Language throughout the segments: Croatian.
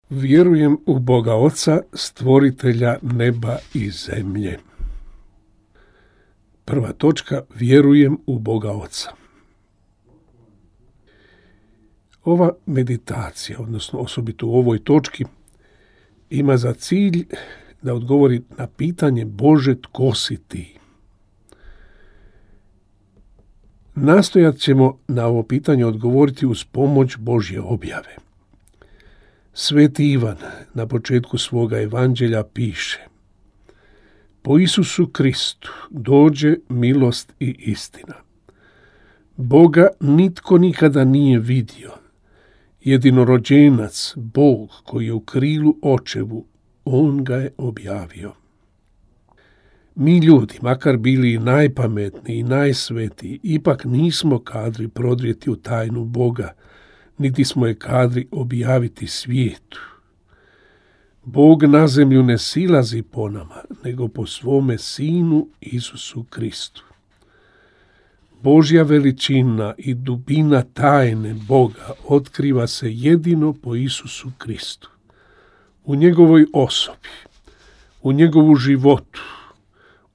Vjerujem u Boga Oca, stvoritelja neba i zemlje. Prva točka, vjerujem u Boga Oca. Ova meditacija, odnosno osobito u ovoj točki, ima za cilj da odgovori na pitanje Bože, tko si ti? Nastojat ćemo na ovo pitanje odgovoriti uz pomoć Božje objave. Sveti Ivan na početku svoga evanđelja piše: po Isusu Kristu dođe milost i istina. Boga nitko nikada nije vidio. Jedinorođenac, Bog koji je u krilu očevu, on ga je objavio. Mi ljudi, makar bili i najpametniji i najsvetiji, ipak nismo kadri prodrijeti u tajnu Boga, niti smo je kadri objaviti svijetu. Bog na zemlju ne silazi po nama, nego po svome Sinu Isusu Kristu. Božja veličina i dubina tajne Boga otkriva se jedino po Isusu Kristu. U njegovoj osobi, u njegovu životu,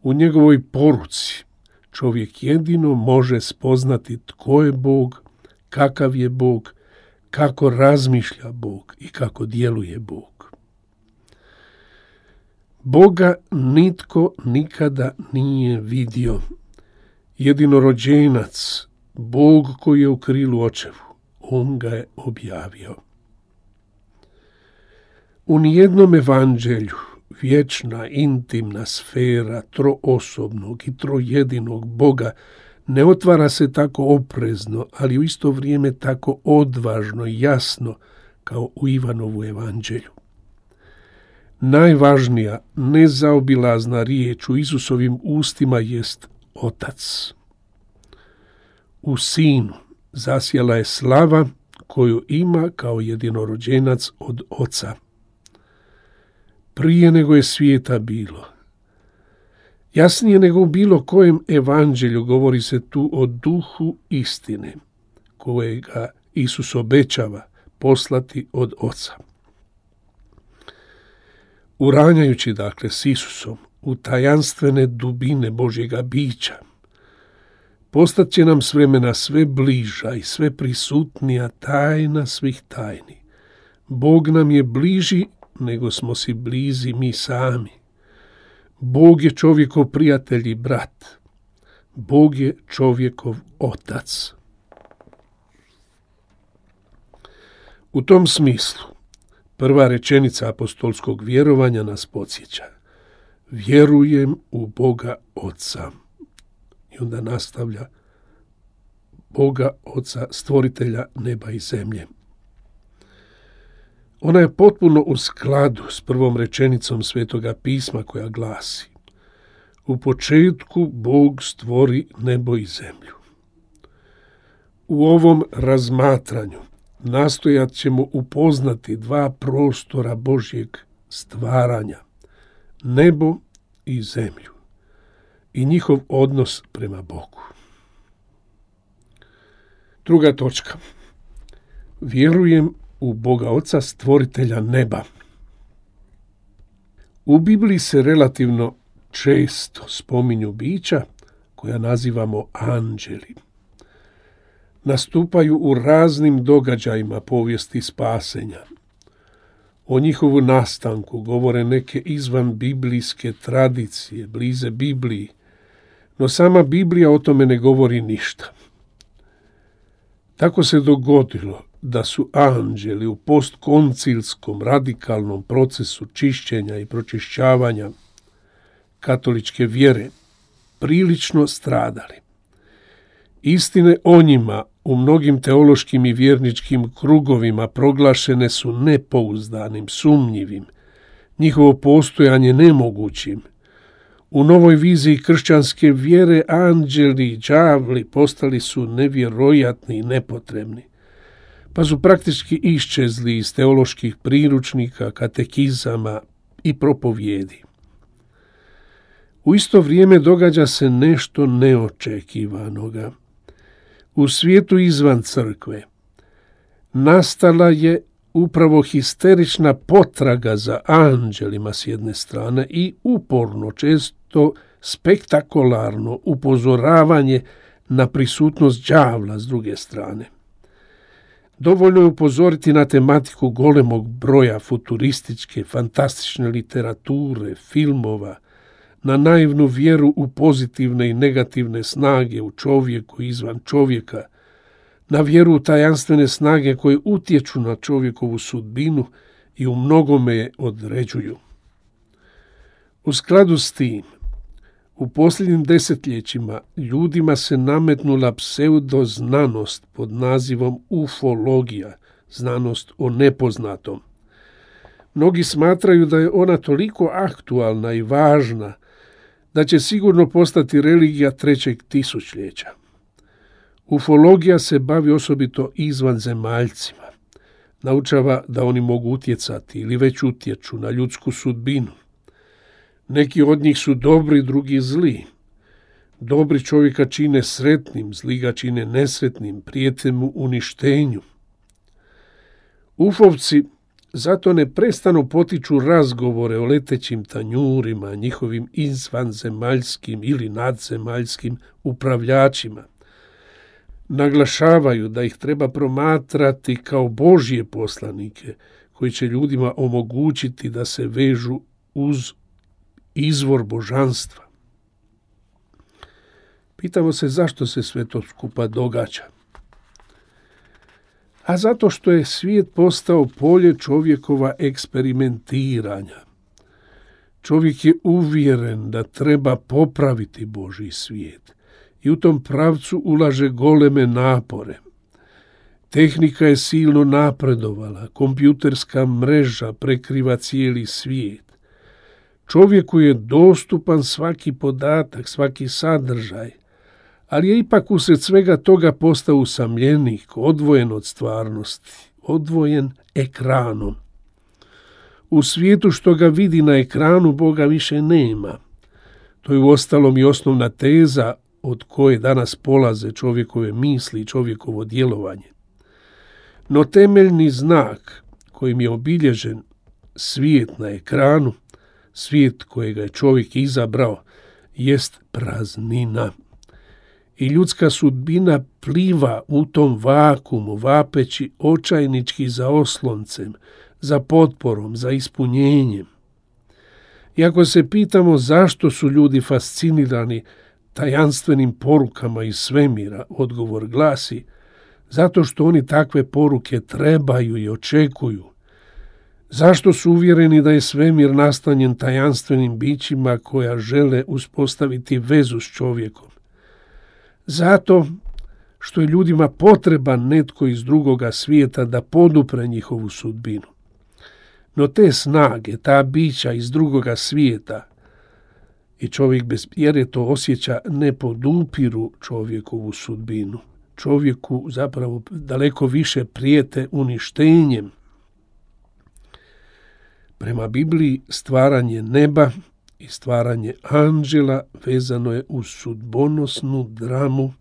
u njegovoj poruci čovjek jedino može spoznati tko je Bog, kakav je Bog, kako razmišlja Bog i kako djeluje Bog. Boga nitko nikada nije vidio. Jedinorođenac, Bog koji je u krilu očevu, on ga je objavio. U nijednom evanđelju vječna, intimna sfera troosobnog i trojedinog Boga ne otvara se tako oprezno, ali u isto vrijeme tako odvažno i jasno kao u Ivanovu evanđelju. Najvažnija, nezaobilazna riječ u Isusovim ustima jest Otac. U Sinu zasjela je slava koju ima kao jedinorođenac od Oca. Prije nego je svijeta bilo. Jasnije nego u bilo kojem evanđelju govori se tu o duhu istine, kojega Isus obećava poslati od Oca. Uranjajući dakle s Isusom u tajanstvene dubine Božjega bića, postat će nam s vremena sve bliža i sve prisutnija tajna svih tajni. Bog nam je bliži nego smo si blizi mi sami. Bog je čovjekov prijatelj i brat. Bog je čovjekov otac. U tom smislu, prva rečenica apostolskog vjerovanja nas podsjeća: vjerujem u Boga Oca. I onda nastavlja: Boga Oca, stvoritelja neba i zemlje. Ona je potpuno u skladu s prvom rečenicom Svetoga pisma koja glasi: u početku Bog stvori nebo i zemlju. U ovom razmatranju nastojat ćemo upoznati dva prostora Božjeg stvaranja, nebo i zemlju, i njihov odnos prema Bogu. Druga točka. Vjerujem u Boga Oca, stvoritelja neba. U Bibliji se relativno često spominju bića koja nazivamo anđeli. Nastupaju u raznim događajima povijesti spasenja. O njihovu nastanku govore neke izvan biblijske tradicije, blize Bibliji, no sama Biblija o tome ne govori ništa. Tako se dogodilo da su anđeli u postkoncilskom radikalnom procesu čišćenja i pročišćavanja katoličke vjere prilično stradali. Istine o njima u mnogim teološkim i vjerničkim krugovima proglašene su nepouzdanim, sumnjivim, njihovo postojanje nemogućim. U novoj viziji kršćanske vjere anđeli i đavli postali su nevjerojatni i nepotrebni, pa su praktički iščezli iz teoloških priručnika, katekizama i propovjedi. U isto vrijeme događa se nešto neočekivanoga. U svijetu izvan crkve nastala je upravo histerična potraga za anđelima s jedne strane i uporno, često spektakularno upozoravanje na prisutnost đavla s druge strane. Dovoljno je upozoriti na tematiku golemog broja futurističke, fantastične literature, filmova, na naivnu vjeru u pozitivne i negativne snage u čovjeku i izvan čovjeka, na vjeru u tajanstvene snage koje utječu na čovjekovu sudbinu i u mnogome je određuju. U skladu s tim, u posljednjim desetljećima ljudima se nametnula pseudoznanost pod nazivom ufologija, znanost o nepoznatom. Mnogi smatraju da je ona toliko aktualna i važna da će sigurno postati religija 3. tisućljeća. Ufologija se bavi osobito izvanzemaljcima. Naučava da oni mogu utjecati ili već utječu na ljudsku sudbinu. Neki od njih su dobri, drugi zli. Dobri čovjeka čine sretnim, zli ga čine nesretnim, prijete mu uništenju. Ufovci zato neprestano potiču razgovore o letećim tanjurima, njihovim izvanzemaljskim ili nadzemaljskim upravljačima. Naglašavaju da ih treba promatrati kao Božje poslanike koji će ljudima omogućiti da se vežu uz izvor božanstva. Pitamo se zašto se sve to skupa događa. A zato što je svijet postao polje čovjekova eksperimentiranja. Čovjek je uvjeren da treba popraviti Božji svijet i u tom pravcu ulaže goleme napore. Tehnika je silno napredovala, kompjuterska mreža prekriva cijeli svijet. Čovjeku je dostupan svaki podatak, svaki sadržaj, ali je ipak usred svega toga postao usamljenik, odvojen od stvarnosti, odvojen ekranom. U svijetu što ga vidi na ekranu Boga više nema. To je uostalom i osnovna teza od koje danas polaze čovjekove misli i čovjekovo djelovanje. No temeljni znak kojim je obilježen svijet na ekranu, svijet kojega je čovjek izabrao, jest praznina. I ljudska sudbina pliva u tom vakuumu, vapeći očajnički za osloncem, za potporom, za ispunjenjem. I ako se pitamo zašto su ljudi fascinirani tajanstvenim porukama iz svemira, odgovor glasi: zato što oni takve poruke trebaju i očekuju. Zašto su uvjereni da je svemir nastanjen tajanstvenim bićima koja žele uspostaviti vezu s čovjekom? Zato što je ljudima potreban netko iz drugoga svijeta da podupre njihovu sudbinu. No te snage, ta bića iz drugoga svijeta, i čovjek bez vjere to osjeća, ne podupiru čovjekovu sudbinu. Čovjeku zapravo daleko više prijete uništenjem. Prema Bibliji stvaranje neba i stvaranje anđela vezano je uz sudbonosnu dramu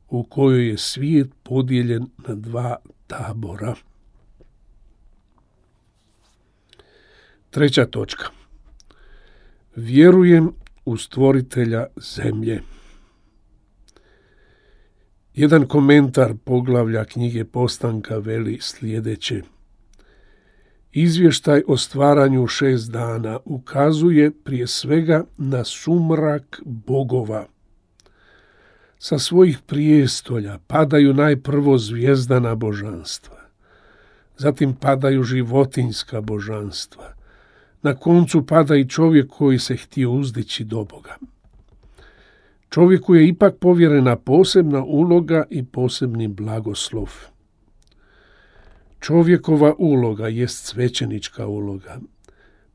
u kojoj je svijet podijeljen na dva tabora. 3. točka. Vjerujem u stvoritelja zemlje. Jedan komentar poglavlja knjige Postanka veli sljedeće: izvještaj o stvaranju 6 dana ukazuje prije svega na sumrak bogova. Sa svojih prijestolja padaju najprvo zvijezdana božanstva. Zatim padaju životinjska božanstva. Na koncu pada i čovjek koji se htio uzdići do Boga. Čovjeku je ipak povjerena posebna uloga i posebni blagoslov. Čovjekova uloga jest svećenička uloga.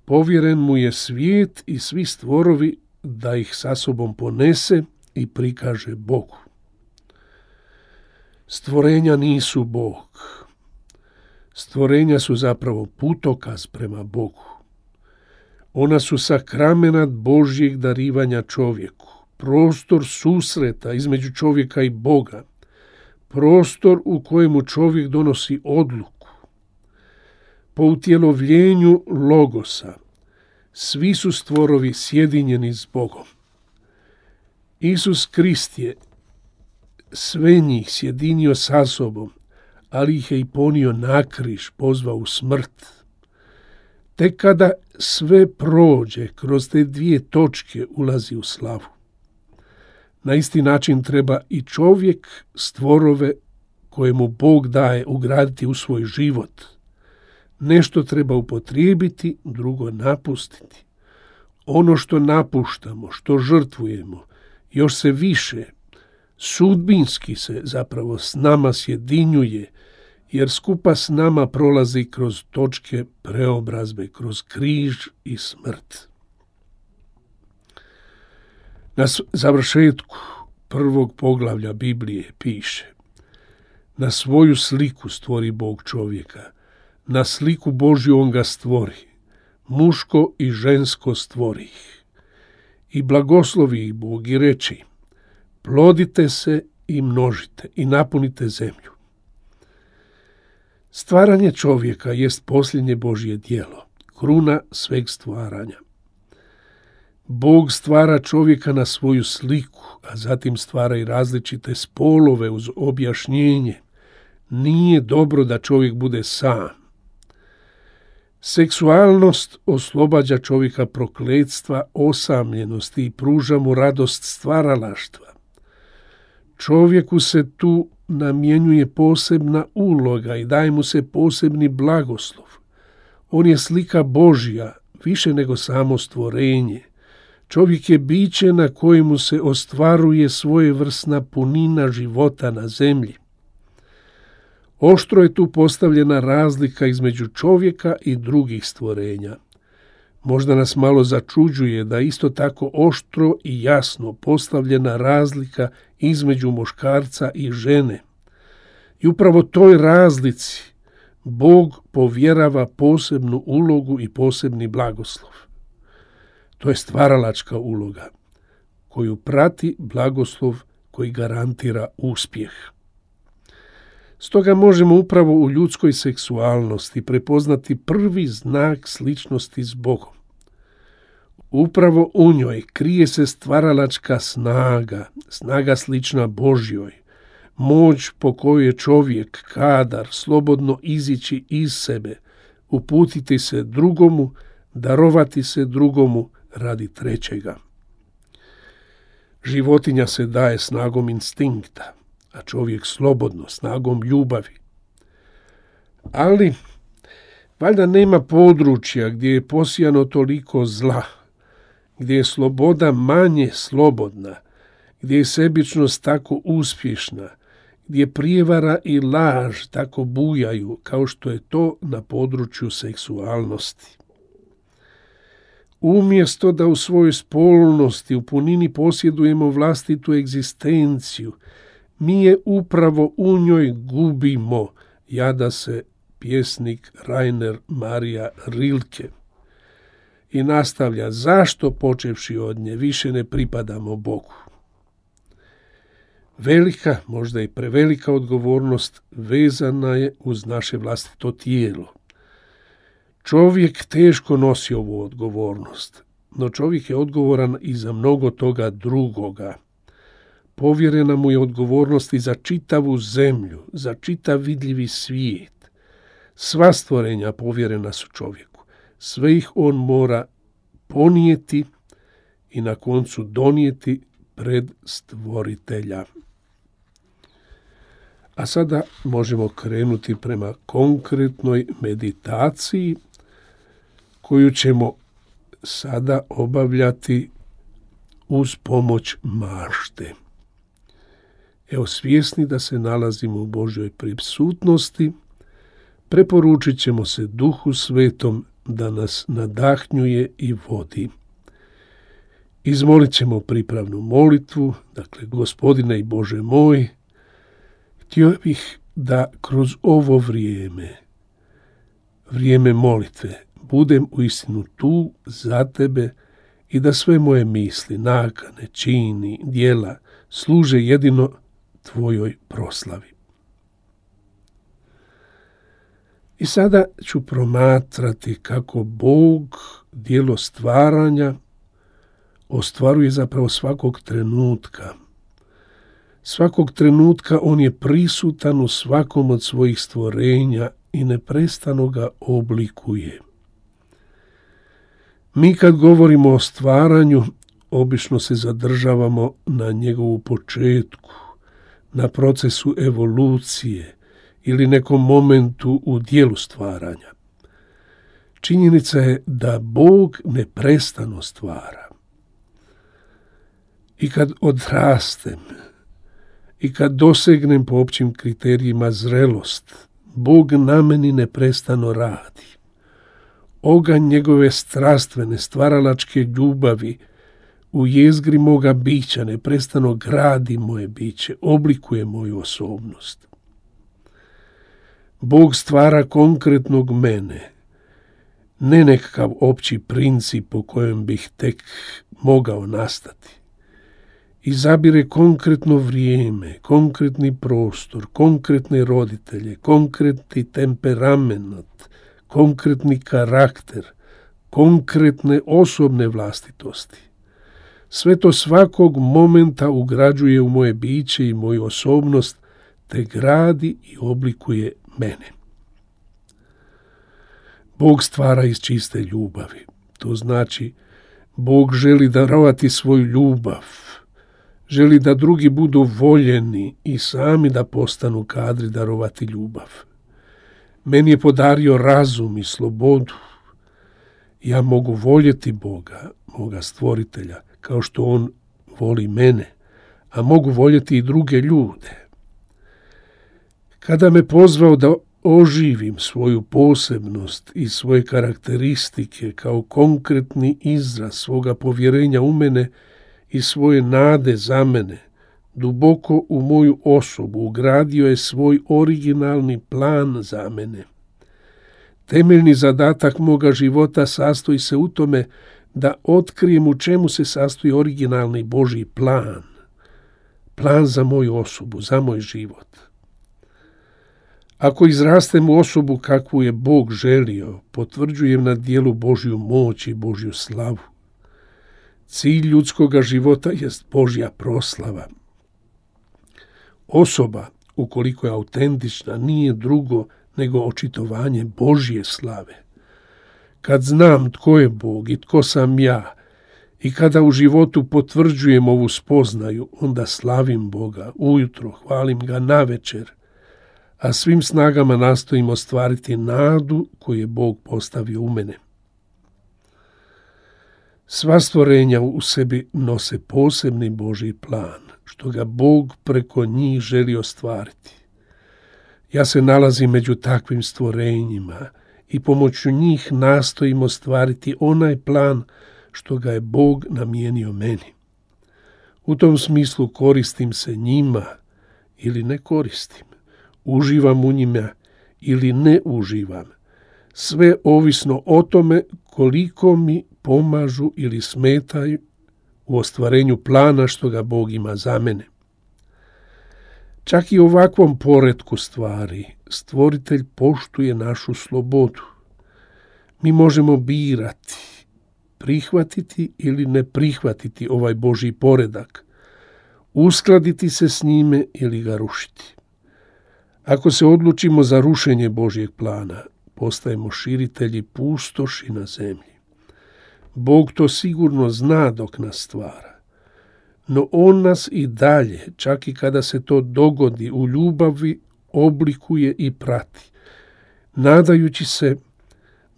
Povjeren mu je svijet i svi stvorovi da ih sa sobom ponese i prikaže Bogu. Stvorenja nisu Bog. Stvorenja su zapravo putokaz prema Bogu. Ona su sakramenat Božjeg darivanja čovjeku, prostor susreta između čovjeka i Boga, prostor u kojemu čovjek donosi odluku. Po utjelovljenju Logosa svi su stvorovi sjedinjeni s Bogom. Isus Krist je sve njih sjedinio sa sobom, ali ih je i ponio na križ, pozvao u smrt. Tek kada sve prođe kroz te dvije točke ulazi u slavu. Na isti način treba i čovjek stvorove koje mu Bog daje ugraditi u svoj život. Nešto treba upotrijebiti, drugo napustiti. Ono što napuštamo, što žrtvujemo, još se više, sudbinski se zapravo s nama sjedinjuje, jer skupa s nama prolazi kroz točke preobrazbe, kroz križ i smrt. Na završetku prvog poglavlja Biblije piše: na svoju sliku stvori Bog čovjeka, na sliku Božju on ga stvori, muško i žensko stvori ih. I blagoslovi ih Bog i reči: plodite se i množite i napunite zemlju. Stvaranje čovjeka jest posljednje Božje djelo, kruna sveg stvaranja. Bog stvara čovjeka na svoju sliku, a zatim stvara i različite spolove uz objašnjenje: nije dobro da čovjek bude sam. Seksualnost oslobađa čovjeka prokletstva, osamljenosti i pruža mu radost stvaralaštva. Čovjeku se tu namjenjuje posebna uloga i daje mu se posebni blagoslov. On je slika Božja, više nego samo stvorenje. Čovjek je biće na kojemu se ostvaruje svojevrsna punina života na zemlji. Oštro je tu postavljena razlika između čovjeka i drugih stvorenja. Možda nas malo začuđuje da isto tako oštro i jasno postavljena razlika između muškarca i žene. I upravo toj razlici Bog povjerava posebnu ulogu i posebni blagoslov. To je stvaralačka uloga koju prati blagoslov koji garantira uspjeh. Stoga možemo upravo u ljudskoj seksualnosti prepoznati prvi znak sličnosti s Bogom. Upravo u njoj krije se stvaralačka snaga slična Božjoj, moć po kojoj je čovjek kadar slobodno izići iz sebe, uputiti se drugomu, darovati se drugomu radi trećega. Životinja se daje snagom instinkta, a čovjek slobodno, snagom ljubavi. Ali, valjda nema područja gdje je posijano toliko zla, gdje je sloboda manje slobodna, gdje je sebičnost tako uspješna, gdje prijevara i laž tako bujaju kao što je to na području seksualnosti. Umjesto da u svojoj spolnosti u punini posjedujemo vlastitu egzistenciju, mi je upravo u njoj gubimo, jada se pjesnik Rainer Maria Rilke. I nastavlja: zašto počevši od nje više ne pripadamo Bogu? Velika, možda i prevelika odgovornost vezana je uz naše vlastito tijelo. Čovjek teško nosi ovu odgovornost, no čovjek je odgovoran i za mnogo toga drugoga. Povjerena mu je odgovornost i za čitavu zemlju, za čitav vidljivi svijet. Sva stvorenja povjerena su čovjeku. Sve ih on mora ponijeti i na koncu donijeti pred stvoritelja. A sada možemo krenuti prema konkretnoj meditaciji koju ćemo sada obavljati uz pomoć mašte. Evo, svjesni da se nalazimo u Božjoj prisutnosti, preporučit ćemo se Duhu Svetom da nas nadahnjuje i vodi. Izmolit ćemo pripravnu molitvu, dakle, Gospodine i Bože moj, htio bih da kroz ovo vrijeme molitve, budem uistinu tu za Tebe i da sve moje misli, nakane, čini, djela služe jedino Tvojoj proslavi. I sada ću promatrati kako Bog djelo stvaranja ostvaruje zapravo svakog trenutka. Svakog trenutka on je prisutan u svakom od svojih stvorenja i neprestano ga oblikuje. Mi kad govorimo o stvaranju, obično se zadržavamo na njegovu početku, na procesu evolucije ili nekom momentu u djelu stvaranja. Činjenica je da Bog neprestano stvara. I kad odrastem, i kad dosegnem po općim kriterijima zrelost, Bog na meni neprestano radi. Oganj njegove strastvene, stvaralačke ljubavi u jezgri moga bića neprestano gradi moje biće, oblikuje moju osobnost. Bog stvara konkretnog mene, ne nekakav opći princip po kojem bih tek mogao nastati. Izabire konkretno vrijeme, konkretni prostor, konkretne roditelje, konkretni temperament, konkretni karakter, konkretne osobne vlastitosti. Sve to svakog momenta ugrađuje u moje biće i moju osobnost, te gradi i oblikuje mene. Bog stvara iz čiste ljubavi. To znači, Bog želi darovati svoju ljubav, želi da drugi budu voljeni i sami da postanu kadri darovati ljubav. Meni je podario razum i slobodu. Ja mogu voljeti Boga, moga stvoritelja, kao što on voli mene, a mogu voljeti i druge ljude. Kada me pozvao da oživim svoju posebnost i svoje karakteristike kao konkretni izraz svoga povjerenja u mene i svoje nade za mene, duboko u moju osobu ugradio je svoj originalni plan za mene. Temeljni zadatak moga života sastoji se u tome da otkrijem u čemu se sastoji originalni Božji plan. Plan za moju osobu, za moj život. Ako izrastem u osobu kakvu je Bog želio, potvrđujem na djelu Božju moć i Božju slavu. Cilj ljudskoga života jest Božja proslava. Osoba, ukoliko je autentična, nije drugo nego očitovanje Božje slave. Kad znam tko je Bog i tko sam ja, i kada u životu potvrđujem ovu spoznaju, onda slavim Boga ujutro, hvalim ga navečer, a svim snagama nastojim ostvariti nadu koju je Bog postavio u mene. Sva stvorenja u sebi nose posebni Božji plan, što ga Bog preko njih želi ostvariti. Ja se nalazim među takvim stvorenjima i pomoću njih nastojim ostvariti onaj plan što ga je Bog namijenio meni. U tom smislu koristim se njima ili ne koristim, uživam u njima ili ne uživam, sve ovisno o tome koliko mi pomažu ili smetaju u ostvarenju plana što ga Bog ima za mene. Čak i u ovakvom poretku stvari stvoritelj poštuje našu slobodu. Mi možemo birati, prihvatiti ili ne prihvatiti ovaj Božji poredak, uskladiti se s njime ili ga rušiti. Ako se odlučimo za rušenje Božjeg plana, postajemo širitelji pustoši na zemlji. Bog to sigurno zna dok nas stvara, no on nas i dalje, čak i kada se to dogodi u ljubavi, oblikuje i prati, nadajući se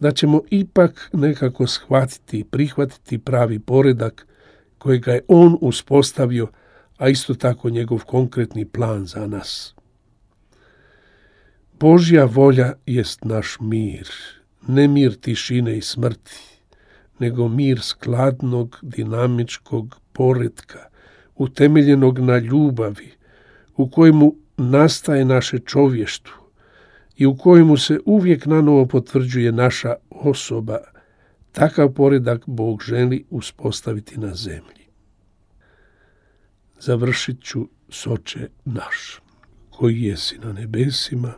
da ćemo ipak nekako shvatiti i prihvatiti pravi poredak kojega je on uspostavio, a isto tako njegov konkretni plan za nas. Božja volja jest naš mir, ne mir tišine i smrti, nego mir skladnog, dinamičkog poretka, utemeljenog na ljubavi, u kojemu nastaje naše čovještvo i u kojemu se uvijek nanovo potvrđuje naša osoba. Takav poredak Bog želi uspostaviti na zemlji. Završit ću s Oče naš, koji jesi na nebesima,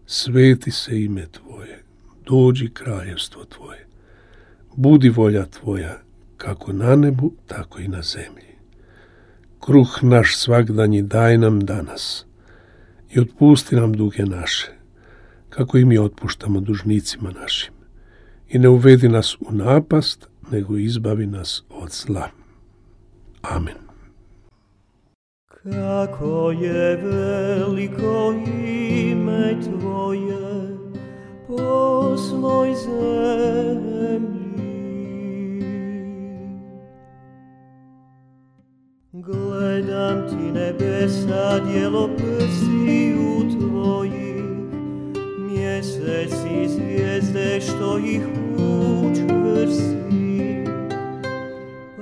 sveti se ime Tvoje, dođi kraljevstvo Tvoje, budi volja Tvoja, kako na nebu, tako i na zemlji. Kruh naš svagdanji daj nam danas i otpusti nam duge naše, kako i mi otpuštamo dužnicima našim. I ne uvedi nas u napast, nego izbavi nas od zla. Amen. Kako je veliko ime Tvoje po svoj zemlji. Gledam Ti nebesa, djelo prstiju Tvojih, mjeseci, zvijezde što ih učvrsti.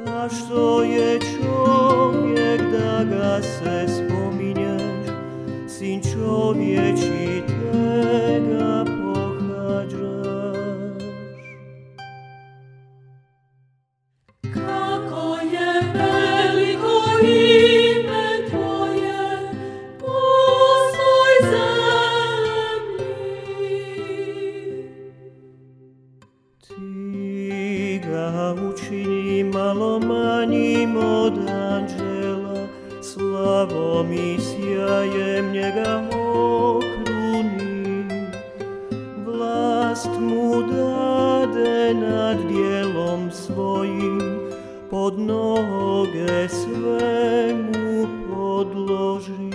Pa što je čovjek da ga se spominješ, sin čovječi te ga pohađaš. Kako je veliko ime Tvoje po svoj zemlji. Ti ga učini malo manjim od anđela, slavom i sjajem njega okruni. Vlast mu dade nad djelom svojim, pod noge sve mu podloži.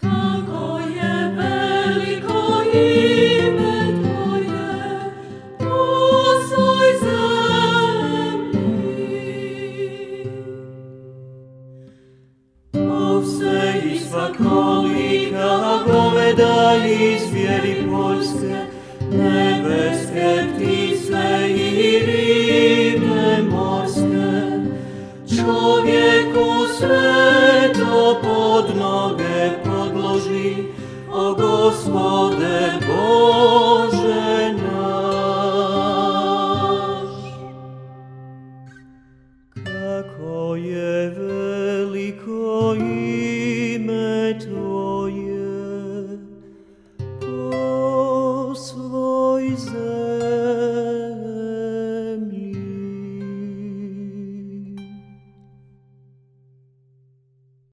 Kako je veliko ime Tvoje po svoj zemlji. Ovce i svakolika, goveda i zvijeri poljske, nebeske ptice i ribe morske, čovjeku sve to pod noge podloži, o Gospode Bože.